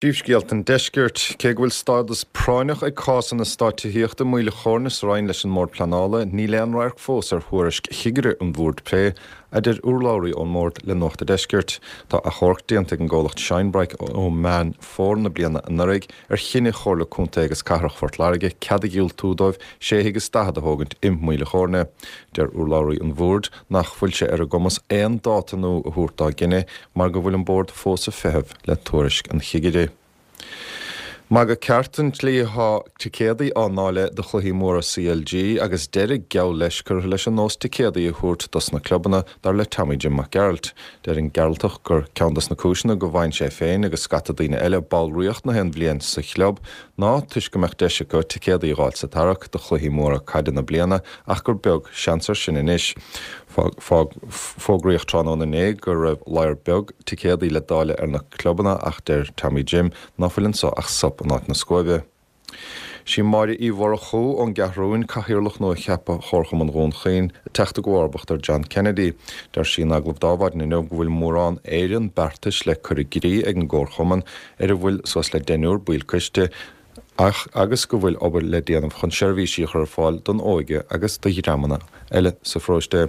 Príomhscéalta an Deiscirt. Cé go bhfuil stádas práinneach ag cás an eastáit tithíochta i Maoil a' Chóirne sa Rinn leis an mBord Pleanála, níl aon radharc fós ar thuairisc chigire an Bhoird Plé, a deir urlabhraí ón mBord le Nuacht a' Deiscirt. Tá achomharc déanta ag an gcomhlacht Shinebrite ó Meán Fómhair na bliana anuraidh ar chinneadh Chomhairle Contae agus Cathrach Phort Láirge cead a dhiúltú dóibh sé thigh is 40 a thógaint i Maoil a' Chóirne. Deir urlabhraí an Bhoird nach bhfuil sé ar a gcumas aon dáta nua a thabhairt dá gcinneadh mar go bhfuil an Bord fós ag feitheamh le tuairisc an chigire. Magadh ceart an tslí atá ticéadaí á ndáileadh do chluichí móra CLG agus deireadh geall leis curtha leis an nós ticéadaí a thabhairt dos na clubanna, dar le Tommy Jim Mac Gearailt. Deir an Gearaltach gur ceann dos na cúiseanna go bhfaigheann sé féin agus scata daoine eile ballraíocht na haon bhliain sa chlub ná toisc go mbeadh deis acu ticéadaí a dh'fháil sa tarrac do chluichí móra caide na bliana ach gur beag seans air sin anois. Fógraíodh tráthnóna inné go raibh ladhar beag ticéadaí le dáileadh ar na clubanna ach deir Tommy Jim ná fuil anso ach sop in áit na scuaibe. Sí Máire Uí Mhurchú ón gCeathrúin, cathaoirleach nua-cheaptha Chomharchumann Dhún Chaoin, ag teacht i gcomharbacht ar John Kennedy. Deir sí in agallamh d'Adhmhaidin inniu go bhfuil mórán éireann beartais le cur i gcrích ag an gComharchumann ar a bhfuil suas le deichniúr baill coiste, ach agus go bhfuil obair le déanamh chun seirbhísí a chur ar fáil don óige agus do dhreamanna eile sa pharóiste.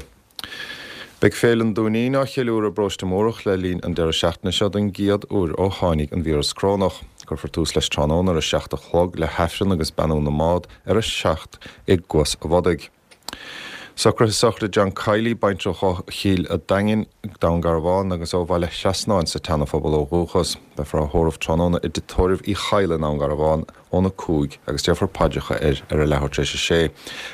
Beidh Féile an Dúinín á cheiliúradh i bParóiste Múrach le linn an deireadh seachtaine seo don gcéad uair ó tháinig an víreas corónach. Cuirfear tús leis tráthnóna ar a 7 a chlog le hAifreann agus beannú na mbád ar a 7 i gCuas a' Bhodaigh. Socruithe sochraide John Kiely, baintreach ó Chill a' Daingin, Dún Garbhán agus ó Bhaile Thrasnáin sa tSeanaphobal ó dhúchas. Beifear á thórramh tráthnóna i dTigh Tórraimh Uí Chadhla i nDún Garbhán óna 5 agus déarfar paidreacha air ar a leathuair tar éis a sé.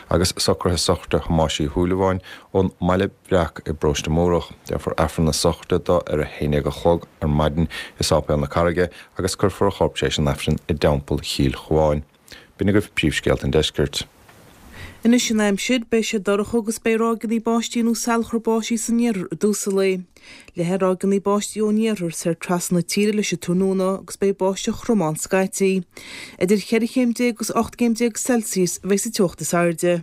Agus socruithe sochraide Thomáis Uí Shúilleabháin ón mBaile Breac i bParóiste Múrach. Déarfar Aifreann na sochraide dó ar a haon déag a chlog ar maidin i Sáipéal na Carraige agus cuirfear a chorp tar éis an Aifrinn i dTeampall Chill Chuáin. B'in agaibh príomhscéalta an deiscirt. Anois an aimsir, beidh sé dorcha agus beidh ráigeanna báistí nó salachar báistí san iarthar i dtús an lae. Leathfaidh ráigeanna báistí ón iarthar soir trasna na tíre leis an tráthnóna agus beidh báisteach throm ann scaití. Idir cheithre chéim déag agus 18 gcéim Celsius a bheidh sa teocht is airde.